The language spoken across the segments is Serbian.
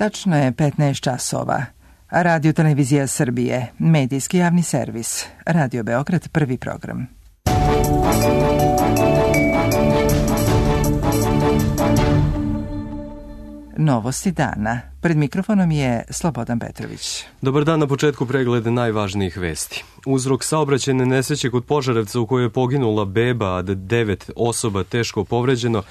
Tačno je 15 časova. Radio Televizija Srbije, medijski javni servis. Radio Beograd, prvi program. Novosti dana. Pred mikrofonom je Slobodan Petrović. Dobar dan, na početku pregled najvažnijih vesti. Uzrok saobraćajne nesreće kod Požarevca u kojoj je poginula beba, a 9 osoba teško povređeno,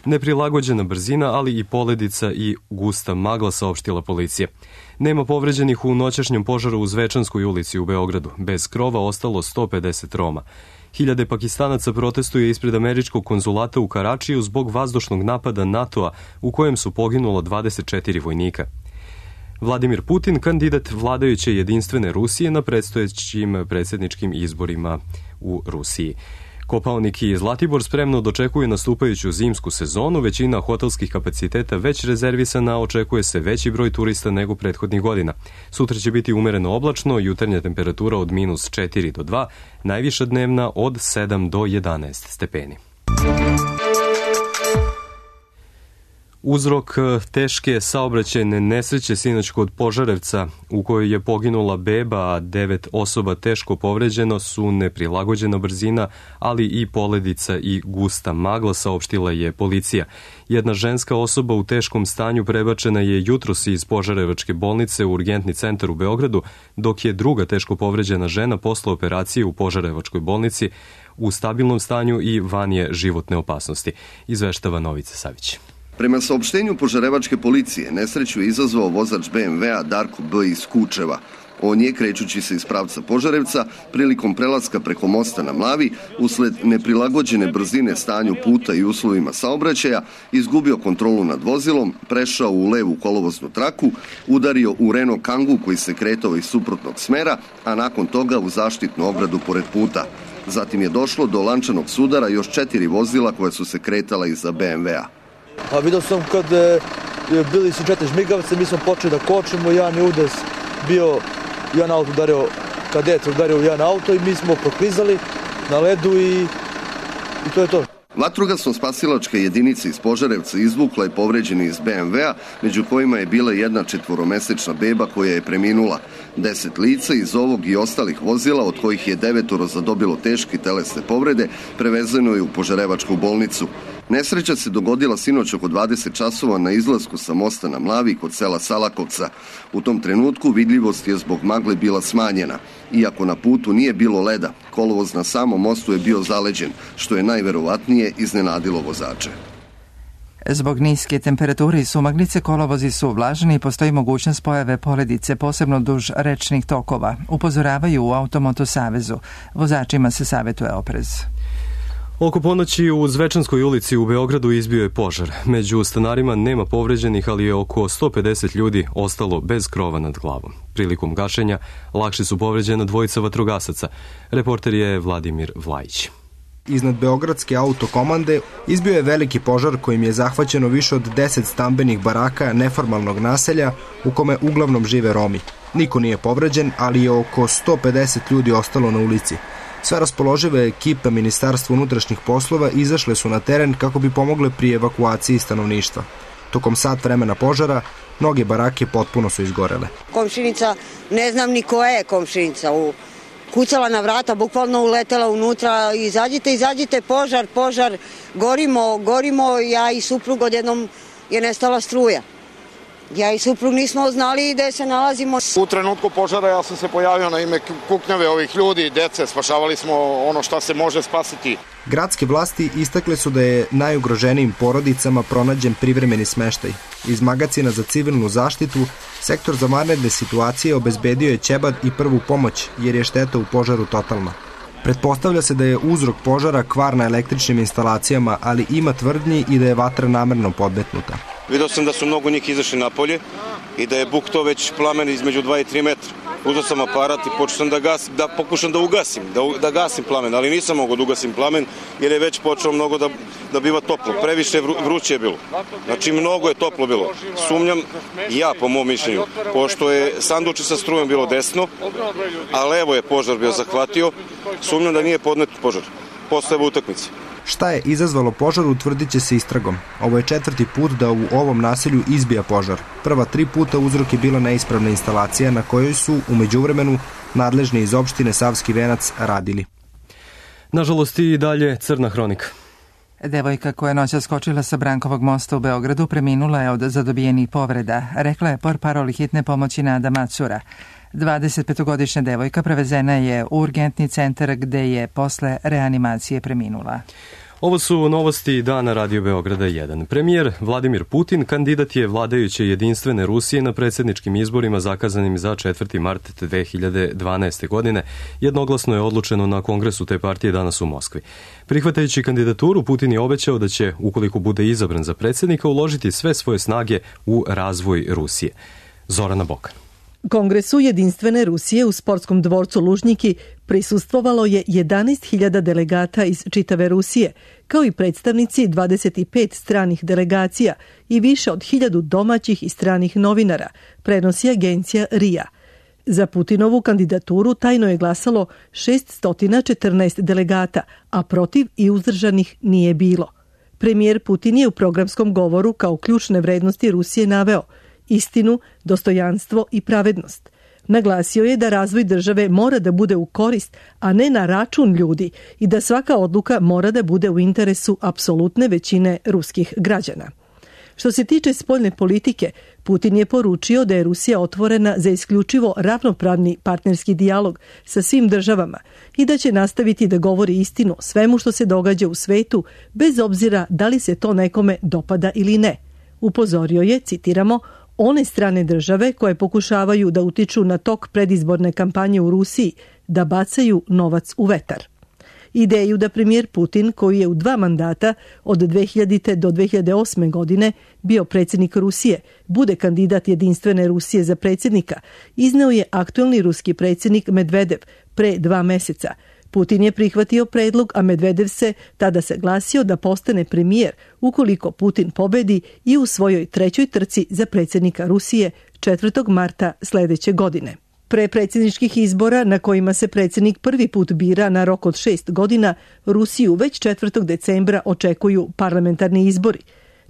neprilagođena brzina, ali i poledica i gusta magla, saopštila policija. Nema povređenih u noćašnjem požaru u Zvečanskoj ulici u Beogradu. Bez krova ostalo 150 Roma. Hiljade Pakistanaca protestuje ispred američkog konzulata u Karačiju zbog vazdušnog napada NATO-a u kojem su poginulo 24 vojnika. Vladimir Putin, kandidat vladajuće jedinstvene Rusije na predstojećim predsjedničkim izborima u Rusiji. Kopaonik i Zlatibor spremno dočekuju nastupajuću zimsku sezonu, većina hotelskih kapaciteta već rezervisana, očekuje se veći broj turista nego prethodnih godina. Sutra će biti umereno oblačno, jutarnja temperatura od -4 do 2, najviša dnevna od 7 do 11 stepeni. Uzrok teške saobraćajne nesreće sinoć kod Požarevca u kojoj je poginula beba, a 9 osoba teško povređeno, su neprilagođena brzina, ali i poledica i gusta magla, saopštila je policija. Jedna ženska osoba u teškom stanju prebačena je jutros iz Požarevačke bolnice u urgentni centar u Beogradu, dok je druga teško povređena žena posle operacije u Požarevačkoj bolnici u stabilnom stanju i van je životne opasnosti, izveštava Novica Savić. Prema saopštenju Požarevačke policije, nesreću je izazvao vozač BMW-a Darko B. iz Kučeva. On je, krećući se iz pravca Požarevca, prilikom prelaska preko mosta na Mlavi, usled neprilagođene brzine stanju puta i uslovima saobraćaja, izgubio kontrolu nad vozilom, prešao u levu kolovoznu traku, udario u Renault Kangoo koji se kretao iz suprotnog smera, a nakon toga u zaštitnu ogradu pored puta. Zatim je došlo do lančanog sudara još 4 vozila koja su se kretala iza BMW-a. A vidio sam kad bili su 4 žmigavce, mi smo počeli da kočimo, jedan je udes bio, jedan auto udario, kadet udario u jedan auto i mi smo proklizali na ledu i to je to. Vatrogasno-spasilačka jedinica iz Požarevca izvukla je povređeni iz BMW-a, među kojima je bila jedna 4-mesečna beba koja je preminula. 10 lica iz ovog i ostalih vozila, od kojih je 9 zadobilo teške telesne povrede, prevezeno je u Požarevačku bolnicu. Nesreća se dogodila sinoć oko 20 časova na izlasku sa mosta na Mlavi kod sela Salakovca. U tom trenutku vidljivost je zbog magle bila smanjena. Iako na putu nije bilo leda, kolovoz na samom mostu je bio zaleđen, što je najverovatnije iznenadilo vozače. Zbog niske temperature i sumaglice kolovozi su vlažni i postoji mogućnost pojave poledice, posebno duž rečnih tokova. Upozoravaju u Automoto savezu. Vozačima se savjetuje oprez. Oko ponoći u Zvečanskoj ulici u Beogradu izbio je požar. Među stanarima nema povređenih, ali je oko 150 ljudi ostalo bez krova nad glavom. Prilikom gašenja lakše su povređena 2 vatrogasaca. Reporter je Vladimir Vlajić. Iznad Beogradske autokomande izbio je veliki požar kojim je zahvaćeno više od 10 stambenih baraka neformalnog naselja u kome uglavnom žive Romi. Niko nije povređen, ali je oko 150 ljudi ostalo na ulici. Sve raspoložive ekipe Ministarstva unutrašnjih poslova izašle su na teren kako bi pomogle pri evakuaciji stanovništva. Tokom sat vremena požara, mnoge barake potpuno su izgorele. Komšinica, ne znam ni koja je komšinica, kucala na vrata, bukvalno uletela unutra, izađite, požar, gorimo, ja i suprug odjednom je nestala struja. Ja i suprug nismo znali gde se nalazimo. U trenutku požara ja sam se pojavio na ime kuknjave ovih ljudi, dece, spašavali smo ono što se može spasiti. Gradske vlasti istakle su da je najugroženijim porodicama pronađen privremeni smeštaj. Iz magacina za civilnu zaštitu, sektor za vanredne situacije obezbedio je ćebad i prvu pomoć, jer je šteta u požaru totalna. Pretpostavlja se da je uzrok požara kvar na električnim instalacijama, ali ima tvrdnji i da je vatra namerno podmetnuta. Vidio sam da su mnogo njih izašli napolje i da je buktao već plamen između 2 i 3 metra. Uzeo sam aparat i počeo sam da pokušam da gasim plamen, ali nisam mogao da ugasim plamen jer je već počeo mnogo da biva toplo. Previše vruće je bilo. Znači mnogo je toplo bilo. Sumnjam ja po mom mišljenju, pošto je sanduče sa strujom bilo desno, a levo je požar bio zahvatio, sumnjam da nije podnet požar. posle ove utakmice. Šta je izazvalo požar utvrdit će se istragom. Ovo je 4. put da u ovom naselju izbija požar. Prva 3 puta uzrok je bila neispravna instalacija na kojoj su u međuvremenu nadležni iz opštine Savski Venac radili. Nažalost i dalje crna hronika. Devojka koja je noćas skočila sa Brankovog mosta u Beogradu preminula je od zadobijenih povreda, rekla je portparol hitne pomoći Nada Macura. 25-godišnja devojka prevezena je u urgentni centar gde je posle reanimacije preminula. Ovo su novosti dana Radio Beograda 1. Premijer Vladimir Putin kandidat je vladajuće jedinstvene Rusije na predsjedničkim izborima zakazanim za 4. mart 2012. godine. Jednoglasno je odlučeno na kongresu te partije danas u Moskvi. Prihvatajući kandidaturu, Putin je obećao da će, ukoliko bude izabran za predsjednika, uložiti sve svoje snage u razvoj Rusije. Zorana Bokan. Kongresu jedinstvene Rusije u sportskom dvorcu Lužnjiki prisustvovalo je 11.000 delegata iz čitave Rusije, kao i predstavnici 25 stranih delegacija i više od 1000 domaćih i stranih novinara, prenosi agencija RIA. Za Putinovu kandidaturu tajno je glasalo 614 delegata, a protiv i uzdržanih nije bilo. Premijer Putin je u programskom govoru kao ključne vrednosti Rusije naveo istinu, dostojanstvo i pravednost. Naglasio je da razvoj države mora da bude u korist, a ne na račun ljudi i da svaka odluka mora da bude u interesu apsolutne većine ruskih građana. Što se tiče spoljne politike, Putin je poručio da je Rusija otvorena za isključivo ravnopravni partnerski dijalog sa svim državama i da će nastaviti da govori istinu o svemu što se događa u svetu, bez obzira da li se to nekome dopada ili ne. Upozorio je, citiramo, one strane države koje pokušavaju da utiču na tok predizborne kampanje u Rusiji da bacaju novac u vetar. Ideju da premijer Putin, koji je u 2 mandata od 2000. do 2008. godine bio predsjednik Rusije, bude kandidat jedinstvene Rusije za predsjednika, izneo je aktuelni ruski predsjednik Medvedev pre 2 meseca. Putin je prihvatio predlog, a Medvedev se tada saglasio da postane premijer ukoliko Putin pobedi i u svojoj 3. trci za predsjednika Rusije 4. marta sledeće godine. Pre predsjedničkih izbora na kojima se predsjednik prvi put bira na rok od 6 godina, Rusiju već 4. decembra očekuju parlamentarni izbori.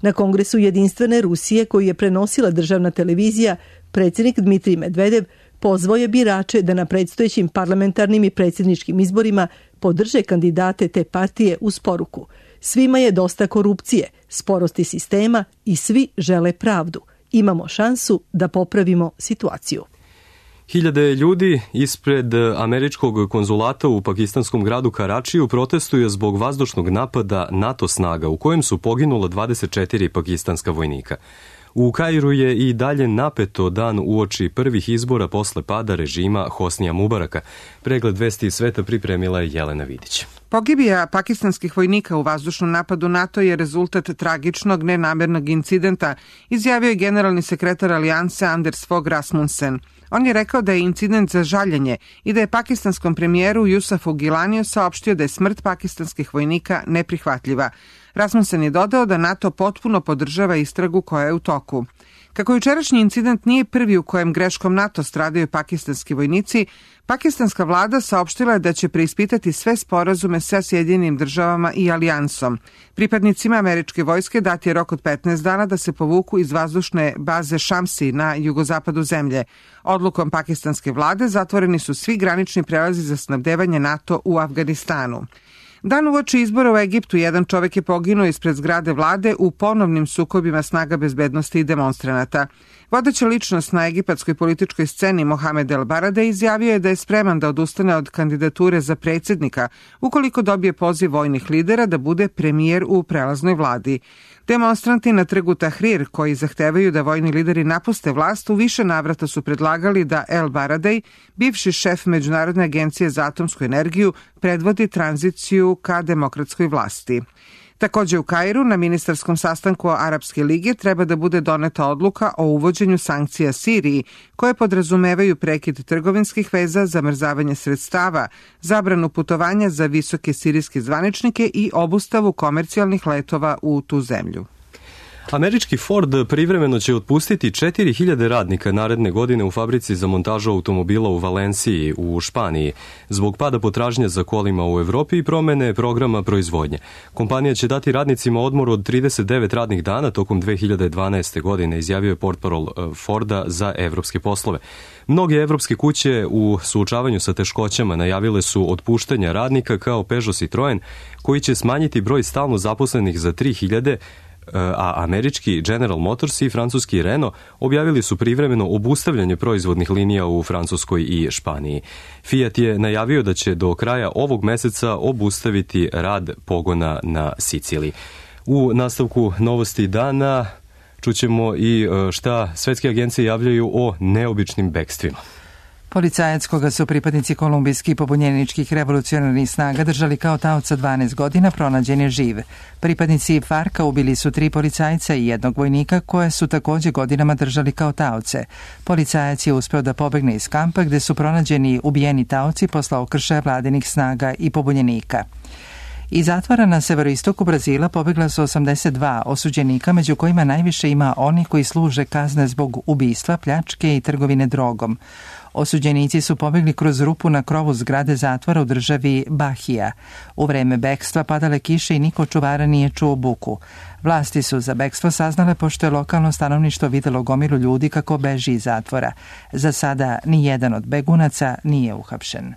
Na Kongresu jedinstvene Rusije, koji je prenosila državna televizija, predsjednik Dmitrij Medvedev pozvao je birače da na predstojećim parlamentarnim i predsjedničkim izborima podrže kandidate te partije uz poruku: svima je dosta korupcije, sporosti sistema i svi žele pravdu. Imamo šansu da popravimo situaciju. Hiljade ljudi ispred američkog konzulata u pakistanskom gradu Karačiju protestuju zbog vazdušnog napada NATO snaga u kojem su poginula 24 pakistanska vojnika. U Kairu je i dalje napeto dan uoči prvih izbora posle pada režima Hosnija Mubaraka. Pregled vesti iz sveta pripremila je Jelena Vidić. Pogibija pakistanskih vojnika u vazdušnom napadu NATO je rezultat tragičnog nenamernog incidenta, izjavio je generalni sekretar alijanse Anders Fogh Rasmussen. On je rekao da je incident za žaljenje i da je pakistanskom premijeru Yusufu Gilaniju saopštio da je smrt pakistanskih vojnika neprihvatljiva. Rasmussen je dodao da NATO potpuno podržava istragu koja je u toku. Kako jučerašnji incident nije prvi u kojem greškom NATO stradaju pakistanski vojnici, pakistanska vlada saopštila je da će preispitati sve sporazume sa Sjedinjenim državama i alijansom. Pripadnicima američke vojske dat je rok od 15 dana da se povuku iz vazdušne baze Shamsi na jugozapadu zemlje. Odlukom pakistanske vlade zatvoreni su svi granični prelazi za snabdevanje NATO u Afganistanu. Dan uoči izbora u Egiptu jedan čovek je poginuo ispred zgrade vlade u ponovnim sukobima snaga bezbednosti i demonstranata. Vodeća ličnost na egipatskoj političkoj sceni Mohamed El Baradei izjavio je da je spreman da odustane od kandidature za predsjednika ukoliko dobije poziv vojnih lidera da bude premijer u prelaznoj vladi. Demonstranti na trgu Tahrir, koji zahtevaju da vojni lideri napuste vlast, u više navrata su predlagali da El Baradei, bivši šef Međunarodne agencije za atomsku energiju, predvodi tranziciju ka demokratskoj vlasti. Takođe u Kairu na ministarskom sastanku Arapske lige treba da bude doneta odluka o uvođenju sankcija Siriji, koje podrazumevaju prekid trgovinskih veza, zamrzavanje sredstava, zabranu putovanja za visoke sirijske zvaničnike i obustavu komercijalnih letova u tu zemlju. Američki Ford privremeno će otpustiti 4000 radnika naredne godine u fabrici za montažu automobila u Valenciji u Španiji zbog pada potražnje za kolima u Evropi i promene programa proizvodnje. Kompanija će dati radnicima odmor od 39 radnih dana tokom 2012. godine, izjavio je portparol Forda za evropske poslove. Mnoge evropske kuće u suočavanju sa teškoćama najavile su otpuštanja radnika kao Peugeot Citroen, koji će smanjiti broj stalno zaposlenih za 3000, a američki General Motors i francuski Renault objavili su privremeno obustavljanje proizvodnih linija u Francuskoj i Španiji. Fiat je najavio da će do kraja ovog meseca obustaviti rad pogona na Siciliji. U nastavku novosti dana čućemo i šta svetske agencije javljaju o neobičnim bekstvima. Policajac koga su pripadnici kolumbijskih pobunjeničkih revolucionarnih snaga držali kao taoca 12 godina pronađen je živ. Pripadnici FARC-a ubili su 3 policajca i 1 vojnika koje su također godinama držali kao taoce. Policajac je uspeo da pobegne iz kampa gde su pronađeni ubijeni taoci posle okršaja vladinih snaga i pobunjenika. Iz zatvora na severoistoku Brazila pobegla su 82 osuđenika, među kojima najviše ima oni koji služe kazne zbog ubistva, pljačke i trgovine drogom. Osuđenici su pobegli kroz rupu na krovu zgrade zatvora u državi Bahija. U vreme bekstva padale kiše i niko čuvara nije čuo buku. Vlasti su za bekstvo saznale pošto je lokalno stanovništvo videlo gomilu ljudi kako beži iz zatvora. Za sada ni jedan od begunaca nije uhapšen.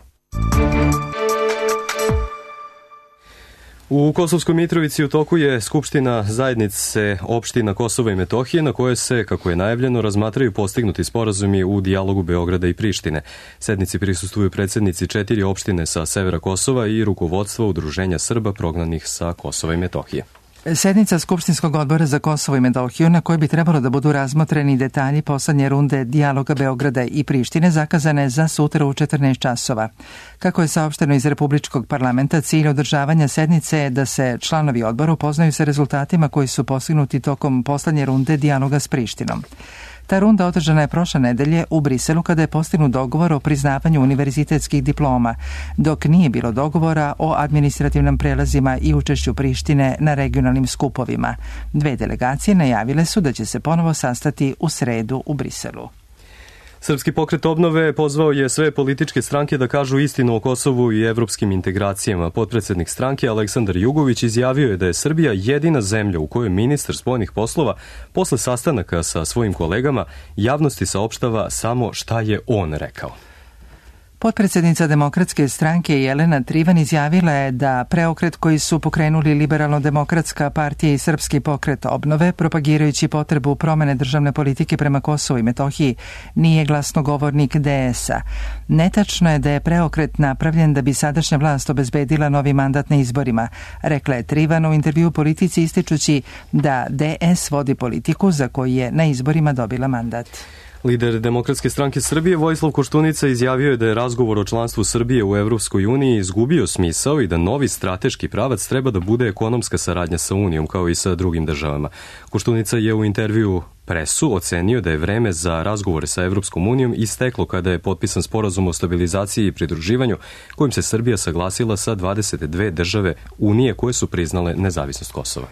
U Kosovskoj Mitrovici u toku je Skupština zajednice opština Kosova i Metohije na kojoj se, kako je najavljeno, razmatraju postignuti sporazumi u dijalogu Beograda i Prištine. Sednici prisustvuju predsjednici 4 opštine sa severa Kosova i rukovodstvo Udruženja Srba prognanih sa Kosova i Metohije. Sednica Skupštinskog odbora za Kosovo i Metohiju na kojoj bi trebalo da budu razmotreni detalji poslednje runde dijaloga Beograda i Prištine zakazane je za sutra u 14 časova. Kako je saopšteno iz Republičkog parlamenta, cilj održavanja sednice je da se članovi odbora upoznaju sa rezultatima koji su postignuti tokom poslednje runde dijaloga s Prištinom. Ta runda održana je prošle nedelje u Briselu kada je postignut dogovor o priznavanju univerzitetskih diploma, dok nije bilo dogovora o administrativnim prelazima i učešću Prištine na regionalnim skupovima. 2 delegacije najavile su da će se ponovo sastati u sredu u Briselu. Srpski pokret obnove pozvao je sve političke stranke da kažu istinu o Kosovu i evropskim integracijama. Potpredsednik stranke Aleksandar Jugović izjavio je da je Srbija jedina zemlja u kojoj ministar spoljnih poslova posle sastanaka sa svojim kolegama javnosti saopštava samo šta je on rekao. Potpredsjednica Demokratske stranke Jelena Trivan izjavila je da preokret koji su pokrenuli Liberalno-demokratska partija i Srpski pokret obnove, propagirajući potrebu promene državne politike prema Kosovu i Metohiji, nije glasnogovornik DS-a. Netačno je da je preokret napravljen da bi sadašnja vlast obezbedila novi mandat na izborima, rekla je Trivan u intervju Politici ističući da DS vodi politiku za koju je na izborima dobila mandat. Lider Demokratske stranke Srbije Vojislav Koštunica izjavio je da je razgovor o članstvu Srbije u Evropskoj uniji izgubio smisao i da novi strateški pravac treba da bude ekonomska saradnja sa Unijom kao i sa drugim državama. Koštunica je u intervju Presu ocenio da je vreme za razgovore sa Evropskom unijom isteklo kada je potpisan sporazum o stabilizaciji i pridruživanju kojim se Srbija saglasila sa 22 države Unije koje su priznale nezavisnost Kosova.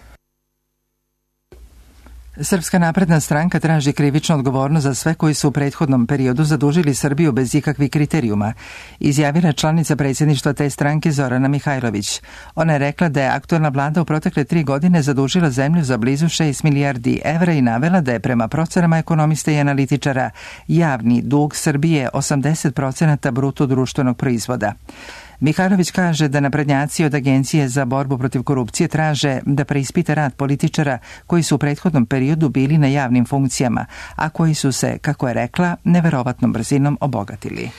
Srpska napredna stranka traži krivičnu odgovornost za sve koji su u prethodnom periodu zadužili Srbiju bez ikakvih kriterijuma, izjavila članica predsjedništva te stranke Zorana Mihajlović. Ona je rekla da je aktuelna vlada u protekle 3 godine zadužila zemlju za blizu 6 milijardi evra i navela da je prema procenama ekonomista i analitičara javni dug Srbije 80% bruto društvenog proizvoda. Mihajlović kaže da naprednjaci od Agencije za borbu protiv korupcije traže da preispita rad političara koji su u prethodnom periodu bili na javnim funkcijama, a koji su se, kako je rekla, neverovatnom brzinom obogatili.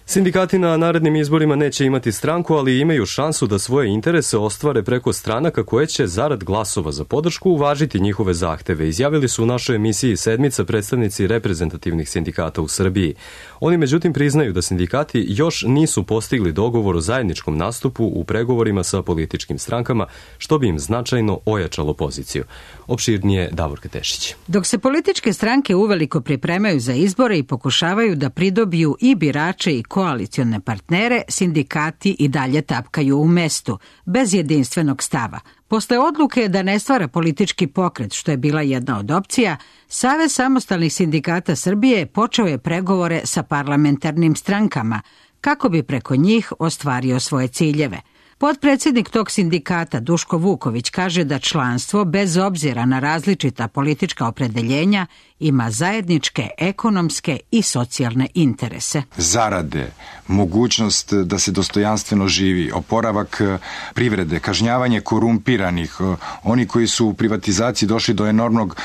Sindikati na narednim izborima neće imati stranku, ali imaju šansu da svoje interese ostvare preko stranaka koje će zarad glasova za podršku uvažiti njihove zahteve, izjavili su u našoj emisiji Sedmica predstavnici reprezentativnih sindikata u Srbiji. Oni međutim priznaju da sindikati još nisu postigli dogovor o zajedničkom nastupu u pregovorima sa političkim strankama, što bi im značajno ojačalo poziciju. Opširnije Davorka Tešić. Dok se političke stranke uveliko pripremaju za izbore i pokušavaju da pridobiju i birače i koalicione partnere, sindikati i dalje tapkaju u mestu, bez jedinstvenog stava. Posle odluke da ne stvara politički pokret, što je bila jedna od opcija, Savez samostalnih sindikata Srbije počeo je pregovore sa parlamentarnim strankama, kako bi preko njih ostvario svoje ciljeve. Potpredsjednik tog sindikata Duško Vuković kaže da članstvo, bez obzira na različita politička opredeljenja, ima zajedničke ekonomske i socijalne interese. Zarade, mogućnost da se dostojanstveno živi, oporavak privrede, kažnjavanje korumpiranih, oni koji su u privatizaciji došli do enormnog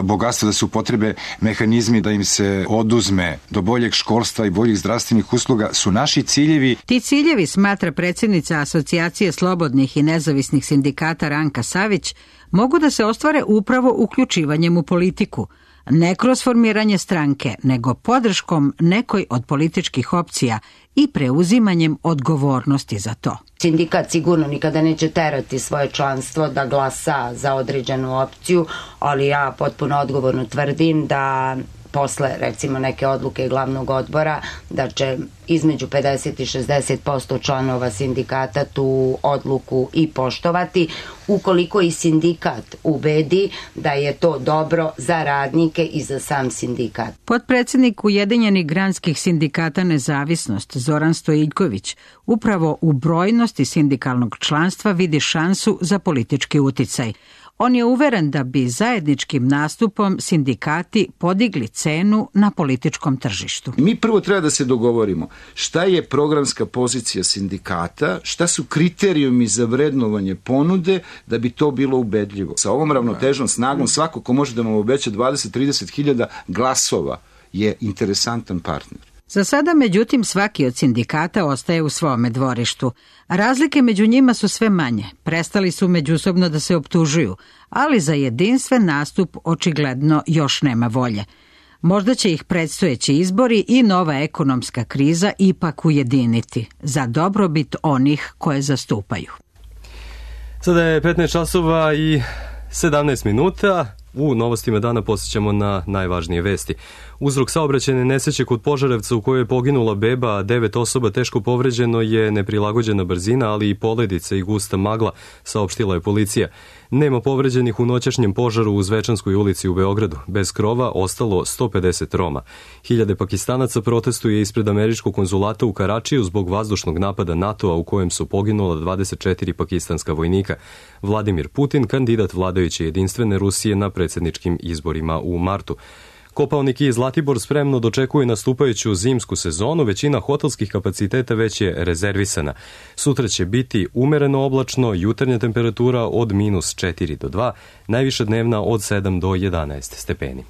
bogatstva, da se upotrebe mehanizmi da im se oduzme do boljeg školstva i boljih zdravstvenih usluga, su naši ciljevi. Ti ciljevi, smatra predsjednica Asocijacije slobodnih i nezavisnih sindikata Ranka Savić, mogu da se ostvare upravo uključivanjem u politiku, ne kroz formiranje stranke, nego podrškom nekoj od političkih opcija i preuzimanjem odgovornosti za to. Sindikat sigurno nikada neće terati svoje članstvo da glasa za određenu opciju, ali ja potpuno odgovorno tvrdim da posle, recimo, neke odluke glavnog odbora, da će između 50 i 60% članova sindikata tu odluku i poštovati, ukoliko i sindikat ubedi da je to dobro za radnike i za sam sindikat. Potpredsjednik Ujedinjenih granskih sindikata Nezavisnost Zoran Stojiljković upravo u brojnosti sindikalnog članstva vidi šansu za politički uticaj. On je uveren da bi zajedničkim nastupom sindikati podigli cenu na političkom tržištu. Mi prvo treba da se dogovorimo šta je programska pozicija sindikata, šta su kriterijumi za vrednovanje ponude da bi to bilo ubedljivo. Sa ovom ravnotežnom snagom svako ko može da vam obeća 20-30 hiljada glasova je interesantan partner. Za sada, međutim, svaki od sindikata ostaje u svome dvorištu. Razlike među njima su sve manje. Prestali su međusobno da se optužuju, ali za jedinstven nastup očigledno još nema volje. Možda će ih predstojeći izbori i nova ekonomska kriza ipak ujediniti za dobrobit onih koje zastupaju. Sada je 15 časova i 17 minuta. U novostima dana posjećamo na najvažnije vesti. Uzrok saobraćajne nesreće kod Požarevca u kojoj je poginula beba, a 9 osoba teško povređeno je neprilagođena brzina, ali i poledice i gusta magla, saopštila je policija. Nema povređenih u noćašnjem požaru u Zvečanskoj ulici u Beogradu. Bez krova ostalo 150 Roma. Hiljade Pakistanaca protestuje ispred američkog konzulata u Karačiju zbog vazdušnog napada NATO-a u kojem su poginula 24 pakistanska vojnika. Vladimir Putin, kandidat vladajuće jedinstvene Rusije na predsjedničkim izborima u martu. Kopaonik i Zlatibor spremno dočekuje nastupajuću zimsku sezonu, većina hotelskih kapaciteta već je rezervisana. Sutra će biti umereno oblačno, jutarnja temperatura od -4 do 2, najviša dnevna od 7 do 11 stepeni.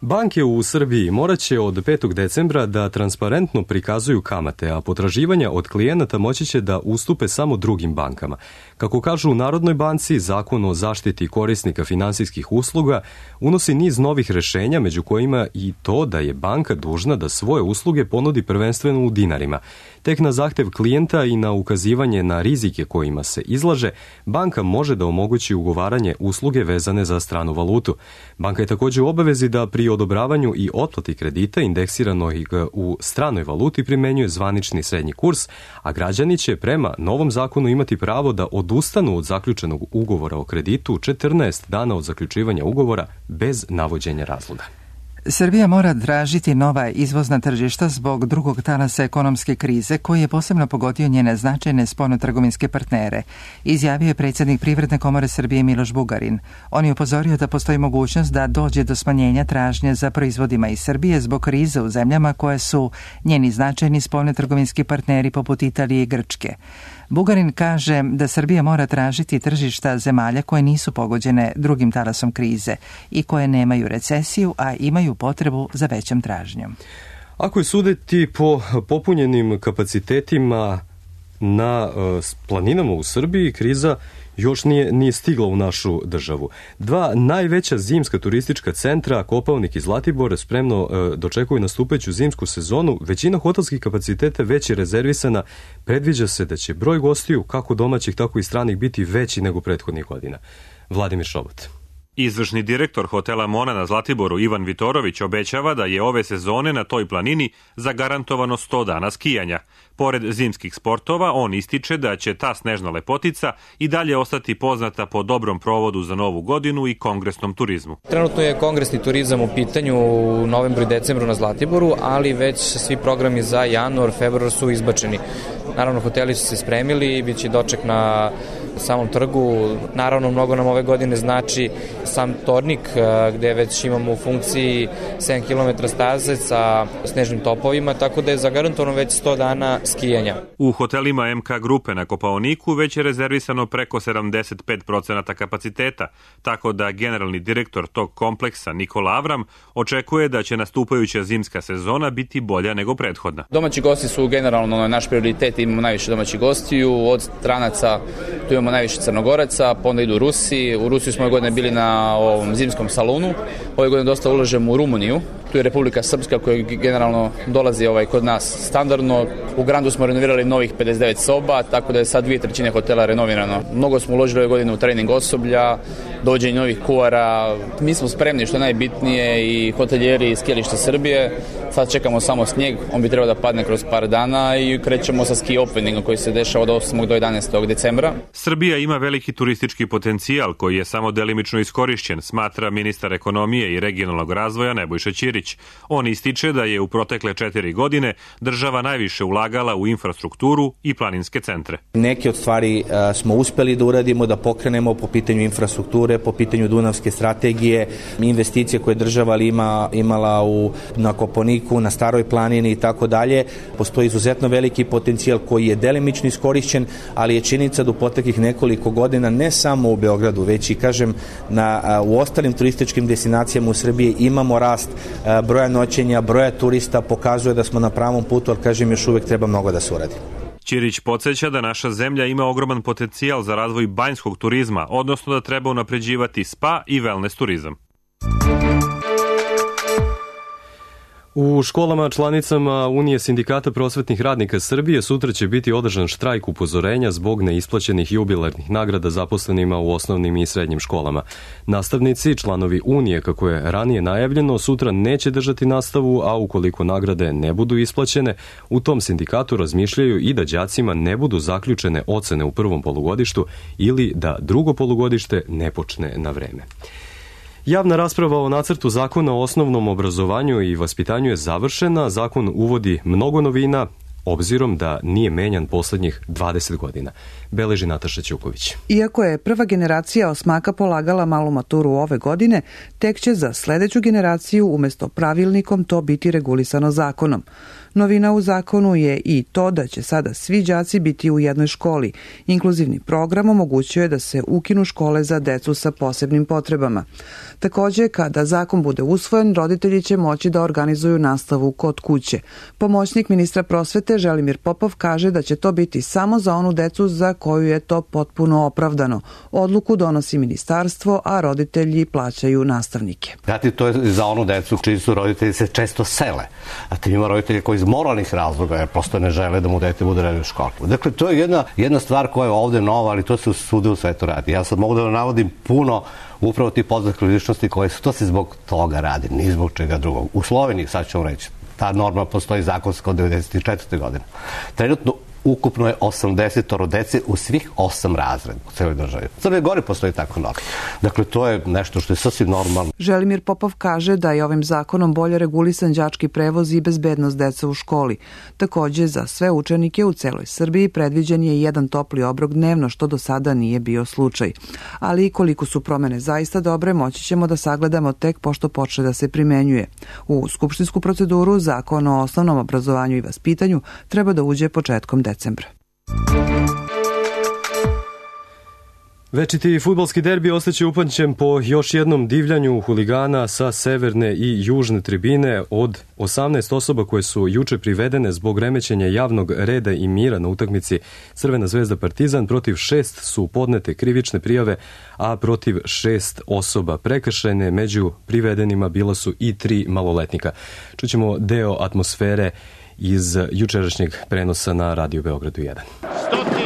Banke u Srbiji morat će od 5. decembra da transparentno prikazuju kamate, a potraživanja od klijenata moći će da ustupe samo drugim bankama. Kako kažu u Narodnoj banci, Zakon o zaštiti korisnika finansijskih usluga unosi niz novih rešenja, među kojima i to da je banka dužna da svoje usluge ponudi prvenstveno u dinarima. Tek na zahtev klijenta i na ukazivanje na rizike kojima se izlaže, banka može da omogući ugovaranje usluge vezane za stranu valutu. Banka je također u obavezi da pri odobravanju i otplati kredita indeksiranog u stranoj valuti primenjuje zvanični srednji kurs, a građani će prema novom zakonu imati pravo da odustanu od zaključenog ugovora o kreditu 14 dana od zaključivanja ugovora bez navođenja razloga. Srbija mora tražiti nova izvozna tržišta zbog drugog talasa ekonomske krize koji je posebno pogodio njene značajne spoljnotrgovinske partnere, izjavio je predsjednik Privredne komore Srbije Miloš Bugarin. On je upozorio da postoji mogućnost da dođe do smanjenja tražnje za proizvodima iz Srbije zbog krize u zemljama koje su njeni značajni spoljnotrgovinski partneri poput Italije i Grčke. Bugarin kaže da Srbija mora tražiti tržišta zemalja koje nisu pogođene drugim talasom krize i koje nemaju recesiju, a imaju potrebu za većom tražnjom. Ako je suditi po popunjenim kapacitetima na planinama u Srbiji, kriza još nije stigla u našu državu. Dva najveća zimska turistička centra, Kopaonik i Zlatibor, spremno dočekuju nastupajuću zimsku sezonu. Većina hotelskih kapaciteta već je rezervisana. Predviđa se da će broj gostiju, kako domaćih, tako i stranih, biti veći nego prethodnih godina. Vladimir Šobot. Izvršni direktor hotela Mona na Zlatiboru Ivan Vitorović obećava da je ove sezone na toj planini zagarantovano 100 dana skijanja. Pored zimskih sportova, on ističe da će ta snežna lepotica i dalje ostati poznata po dobrom provodu za Novu godinu i kongresnom turizmu. Trenutno je kongresni turizam u pitanju u novembru i decembru na Zlatiboru, ali već svi programi za januar, februar su izbačeni. Naravno, hoteli su se spremili i bit će doček na samom trgu. Naravno, mnogo nam ove godine znači sam Tornik, gde već imamo u funkciji 7 km staze sa snežnim topovima, tako da je zagarantovano već 100 dana skijanja. U hotelima MK grupe na Kopaoniku već je rezervisano preko 75% kapaciteta, tako da generalni direktor tog kompleksa Nikola Avram očekuje da će nastupajuća zimska sezona biti bolja nego prethodna. Domaći gosti su generalno naš prioritet, imamo najviše domaćih gostiju, od stranaca tu imamo najviše Crnogoraca, pa onda idu Rusi. U Rusiji smo ove godine bili na ovom zimskom salonu, ove godine dosta ulažemo u Rumuniju, tu je Republika Srpska koja generalno dolazi kod nas standardno. U Grandu smo renovirali novih 59 soba, tako da je sad 2/3 hotela renovirano. Mnogo smo uložili ove godine u trening osoblja, dođenje novih kuara. Mi smo spremni, što je najbitnije, i hotelijeri iz skijališta Srbije. Sad čekamo samo snijeg, on bi trebao da padne kroz par dana i krećemo sa ski openingom koji se dešava od 8. do 11. decembra. Srbija ima veliki turistički potencijal koji je samo delimično iskorišćen, smatra ministar ekonomije i regionalnog razvoja Nebojša Ćirić. On ističe da je u protekle 4 godine država najviše ulagala u infrastrukturu i planinske centre. Neke od stvari smo uspeli da uradimo, da pokrenemo po pitanju infrastrukture, po pitanju Dunavske strategije, investicije koje država imala na Kopaoniku, na Staroj planini i tako dalje. Postoji izuzetno veliki potencijal koji je delimično iskorišćen, ali je činjenica da u proteklih nekoliko godina ne samo u Beogradu, već i u ostalim turističkim destinacijama u Srbiji imamo rast broja noćenja, broja turista, pokazuje da smo na pravom putu, ali još uvek treba mnogo da se uradi. Ćirić podsjeća da naša zemlja ima ogroman potencijal za razvoj banjskog turizma, odnosno da treba unapređivati spa i wellness turizam. U školama članicama Unije sindikata prosvetnih radnika Srbije sutra će biti održan štrajk upozorenja zbog neisplaćenih jubilarnih nagrada zaposlenima u osnovnim i srednjim školama. Nastavnici, članovi Unije, kako je ranije najavljeno, sutra neće držati nastavu, a ukoliko nagrade ne budu isplaćene, u tom sindikatu razmišljaju i da đacima ne budu zaključene ocene u prvom polugodištu ili da drugo polugodište ne počne na vreme. Javna rasprava o nacrtu zakona o osnovnom obrazovanju i vaspitanju je završena. Zakon uvodi mnogo novina, obzirom da nije menjan poslednjih 20 godina. Beleži Nataša Ćuković. Iako je prva generacija osmaka polagala malu maturu ove godine, tek će za sledeću generaciju umesto pravilnikom to biti regulisano zakonom. Novina u zakonu je i to da će sada svi đaci biti u jednoj školi. Inkluzivni program omogućuje da se ukinu škole za decu sa posebnim potrebama. Takođe, kada zakon bude usvojen, roditelji će moći da organizuju nastavu kod kuće. Pomoćnik ministra prosvete Želimir Popov kaže da će to biti samo za onu decu za koju je to potpuno opravdano. Odluku donosi ministarstvo, a roditelji plaćaju nastavnike. Znate, to je za onu decu čiji su roditelji se često sele. A ti ima roditelji koji iz moralnih razloga, jer prosto ne žele da mu dete bude redno u školi. Dakle, to je jedna stvar koja je ovde nova, ali to se svuda u svetu radi. Ja sad mogu da navodim puno upravo tih poznatih ličnosti koje su, to se zbog toga radi, ni zbog čega drugog. U Sloveniji, sad ću vam reći, ta norma postoji zakonska od 1994. godine. Trenutno ukupno je 80 dece u svih 8 razreda u celoj državi. U Crnoj Gori postoji tako norma. Dakle, to je nešto što je sasvim normalno. Želimir Popov kaže da je ovim zakonom bolje regulisan đački prevoz i bezbednost deca u školi. Takođe, za sve učenike u celoj Srbiji predviđen je jedan topli obrok dnevno, što do sada nije bio slučaj. Ali koliko su promene zaista dobre, moći ćemo da sagledamo tek pošto počne da se primenjuje. U skupštinsku proceduru zakon o osnovnom obrazovanju i vaspitanju treba da uđe početkom decembra. Večiti fudbalski derbi ostaće upamćen po još jednom divljanju huligana sa severne i južne tribine. Od 18 osoba koje su juče privedene zbog remećenja javnog reda i mira na utakmici Crvena zvezda Partizan, protiv 6 su podnete krivične prijave, a protiv 6 osoba prekršajne. Među privedenima bila su i 3 maloletnika. Čućemo deo atmosfere iz jučerašnjeg prenosa na Radio Beogradu 1.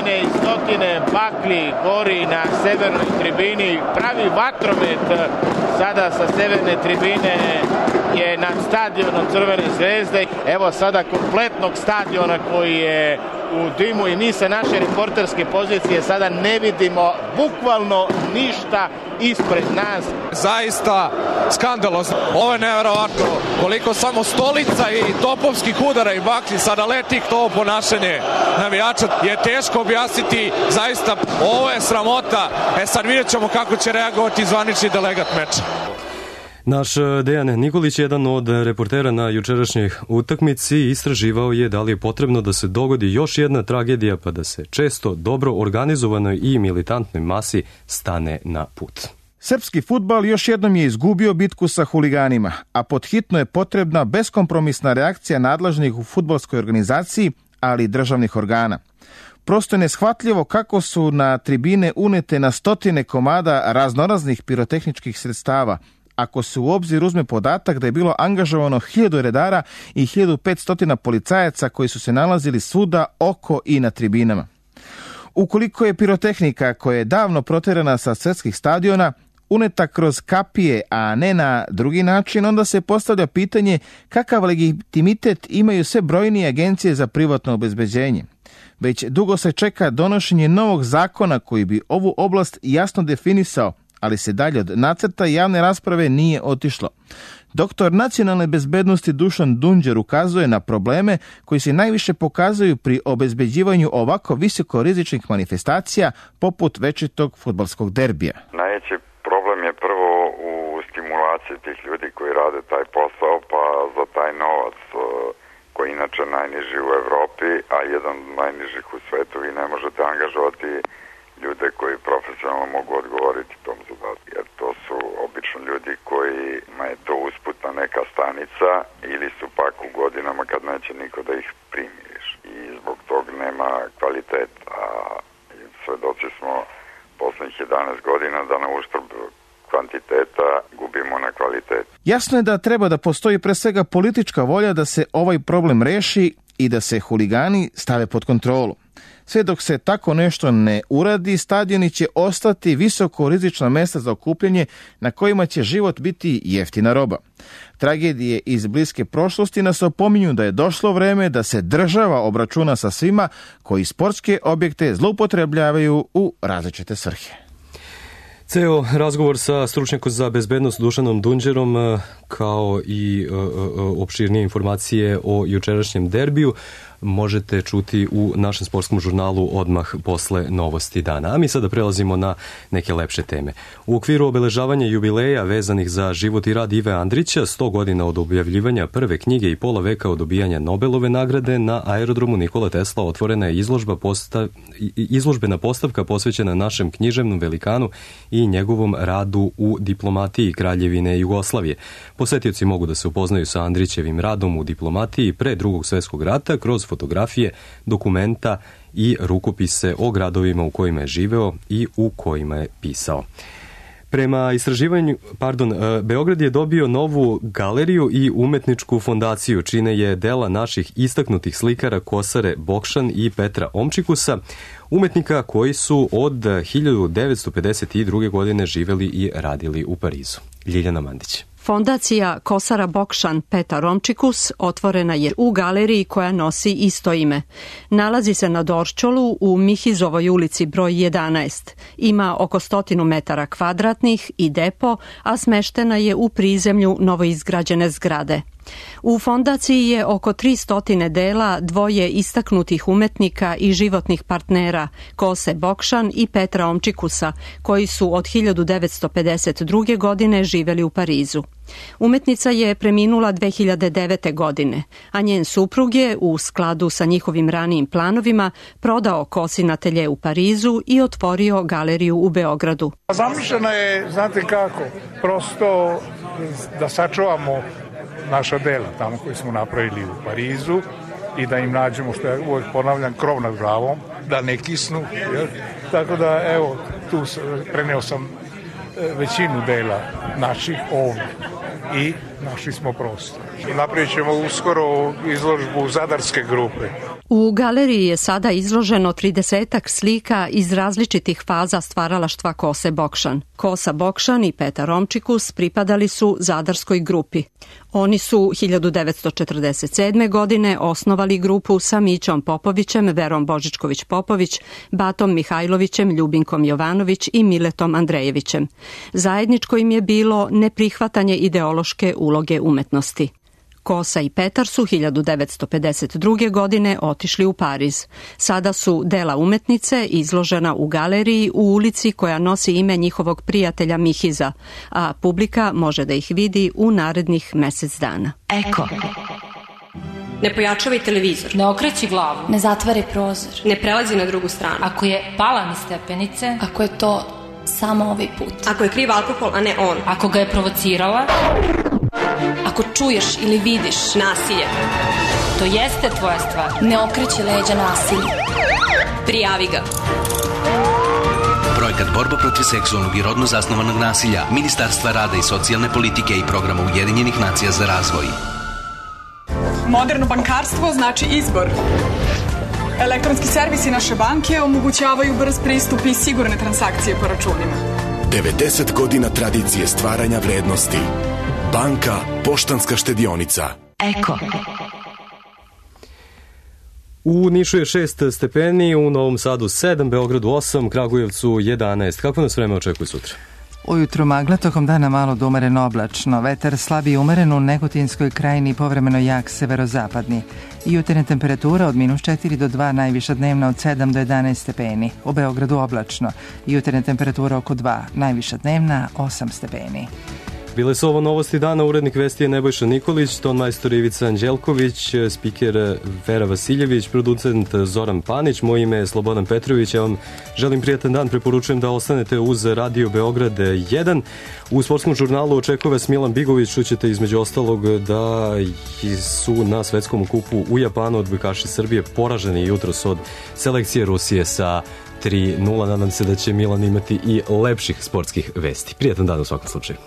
stotine i stotine baklji gori na severnoj tribini. Pravi vatromet sada sa severne tribine je nad stadionom Crvene zvezde. Evo sada kompletnog stadiona koji je u dimu i mi sa naše reporterske pozicije sada ne vidimo bukvalno ništa ispred nas. Zaista skandalozno. Ovo je nevjerovatno. Koliko samo stolica i topovskih udara i baklji sada leti, to ponašanje navijača je teško objasniti. Zaista ovo je sramota. Sad vidjet ćemo kako će reagovati zvanični delegat meča. Naš Dejan Nikolić, jedan od reportera na jučerašnjoj utakmici, istraživao je da li je potrebno da se dogodi još jedna tragedija pa da se često dobro organizovanoj i militantnoj masi stane na put. Srpski fudbal još jednom je izgubio bitku sa huliganima, a podhitno je potrebna beskompromisna reakcija nadležnih u fudbalskoj organizaciji, ali i državnih organa. Prosto je neshvatljivo kako su na tribine unete na stotine komada raznoraznih pirotehničkih sredstava, ako se u obzir uzme podatak da je bilo angažovano 1000 redara i 1500 policajaca koji su se nalazili svuda oko i na tribinama. Ukoliko je pirotehnika koja je davno proterana sa svetskih stadiona uneta kroz kapije, a ne na drugi način, onda se postavlja pitanje kakav legitimitet imaju sve brojnije agencije za privatno obezbeđenje. Već dugo se čeka donošenje novog zakona koji bi ovu oblast jasno definisao, ali se dalje od nacrta javne rasprave nije otišlo. Doktor nacionalne bezbednosti Dušan Dunđer ukazuje na probleme koji se najviše pokazuju pri obezbeđivanju ovako visokorizičnih manifestacija poput večitog fudbalskog derbija. Najveći problem je prvo u stimulaciji tih ljudi koji rade taj posao, pa za taj novac koji je inače najniži u Evropi, a jedan od najnižih u svetu, vi ne možete angažovati ljude koji profesionalno mogu odgovoriti tom zadatku, jer to su obično ljudi kojima je to usputna neka stanica ili su pak u godinama kad neće niko da ih primiš i zbog tog nema kvaliteta. A svedoci smo poslednjih 11 godina da na uštrb kvantiteta gubimo na kvalitetu. Jasno je da treba da postoji pre svega politička volja da se ovaj problem reši i da se huligani stave pod kontrolu. Sve dok se tako nešto ne uradi, stadioni će ostati visoko rizična mesta za okupljanje na kojima će život biti jeftina roba. Tragedije iz bliske prošlosti nas opominju da je došlo vreme da se država obračuna sa svima koji sportske objekte zloupotrebljavaju u različite svrhe. Ceo razgovor sa stručnjakom za bezbednost Dušanom Dunđerom kao i opširnije informacije o jučerašnjem derbiju možete čuti u našem sportskom žurnalu odmah posle novosti dana. A mi sada prelazimo na neke lepše teme. U okviru obeležavanja jubileja vezanih za život i rad Ive Andrića, 100 godina od objavljivanja prve knjige i pola veka od dobijanja Nobelove nagrade, na aerodromu Nikola Tesla otvorena je izložbena postavka posvećena našem književnom velikanu i njegovom radu u diplomatiji Kraljevine Jugoslavije. Posetioci mogu da se upoznaju sa Andrićevim radom u diplomatiji pre Drugog svjetskog rata kroz fotografije, dokumenta i rukopise o gradovima u kojima je živeo i u kojima je pisao. Prema istraživanju, Beograd je dobio novu galeriju i umetničku fondaciju, čine je dela naših istaknutih slikara Kosare Bokšan i Petra Omčikusa, umetnika koji su od 1952. godine živeli i radili u Parizu. Ljiljana Mandić. Fondacija Kosara Bokšan Petar Omčikus otvorena je u galeriji koja nosi isto ime. Nalazi se na Dorčolu u Mihizovoj ulici broj 11. Ima oko 100 metara kvadratnih i depo, a smeštena je u prizemlju novoizgrađene zgrade. U fondaciji je oko 300 dela dvoje istaknutih umetnika i životnih partnera, Kose Bokšan i Petra Omčikusa, koji su od 1952. godine živeli u Parizu. Umetnica je preminula 2009. godine, a njen suprug je, u skladu sa njihovim ranijim planovima, prodao Kosin atelje u Parizu i otvorio galeriju u Beogradu. Zamišljena je, znate kako, prosto da sačuvamo naša dela tamo koji smo napravili u Parizu i da im nađemo, što ja uvijek ponavljam, krov nad glavom, da ne kisnu. Jer? Tako da, evo, tu preneo sam većinu dela naših ovdje i našli smo prostor. Napravit ćemo uskoro izložbu Zadarske grupe. U galeriji je sada izloženo 30-ak slika iz različitih faza stvaralaštva Kose Bokšan. Kosa Bokšan i Petar Romčikus pripadali su zadarskoj grupi. Oni su 1947. godine osnovali grupu sa Mićom Popovićem, Verom Božičković-Popović, Batom Mihajlovićem, Ljubinkom Jovanović i Miletom Andrejevićem. Zajedničko im je bilo neprihvatanje ideološke uloge umetnosti. Kosa i Petar su 1952. godine otišli u Pariz. Sada su dela umetnice izložena u galeriji u ulici koja nosi ime njihovog prijatelja Mihiza, a publika može da ih vidi u narednih mesec dana. Eko. Ne pojačavaj televizor. Ne okreći glavu. Ne zatvaraj prozor. Ne prelazi na drugu stranu. Ako je pala mi stepenice. Ako je to samo ovaj put. Ako je kriv alkohol, a ne on. Ako ga je provocirala. Ako čuješ ili vidiš nasilje, to jeste tvoja stvar. Ne okreći leđa nasilju. Prijavi ga. Projekat Borba protiv seksualnog i rodno zasnovanog nasilja Ministarstva rada i socijalne politike i programa Ujedinjenih nacija za razvoj. Moderno bankarstvo znači izbor. Elektronski servisi naše banke omogućavaju brz pristup i sigurne transakcije po računima. 90 godina tradicije stvaranja vrednosti. Banka Poštanska štedionica. Eko. U Nišu je 6 stepeni, u Novom Sadu 7, Beogradu 8, Kragujevcu 11. Kako nas vreme očekuje sutra? Ujutru magla, tokom dana malo do umereno oblačno. Vetar slab i umeren u Negotinskoj krajini, povremeno jak severozapadni. Jutarnja temperatura od -4 do 2, najviša dnevna od 7 do 11 stepeni. U Beogradu oblačno. Jutarnja temperatura oko 2, najviša dnevna 8 stepeni. Bile su ovo novosti dana, urednik vesti je Nebojša Nikolić, tonmajstor Ivica Anđelković, spiker Vera Vasiljević, producent Zoran Panić, moje ime je Slobodan Petrović, ja vam želim prijatan dan, preporučujem da ostanete uz Radio Beograd 1. U sportskom žurnalu očekuje vas Milan Bigović, čućete između ostalog da su na svetskom kupu u Japanu odbojkaši Srbije poraženi jutros od selekcije Rusije sa 3:0. Nadam se da će Milan imati i lepših sportskih vesti. Prijatan dan u svakom slučaju.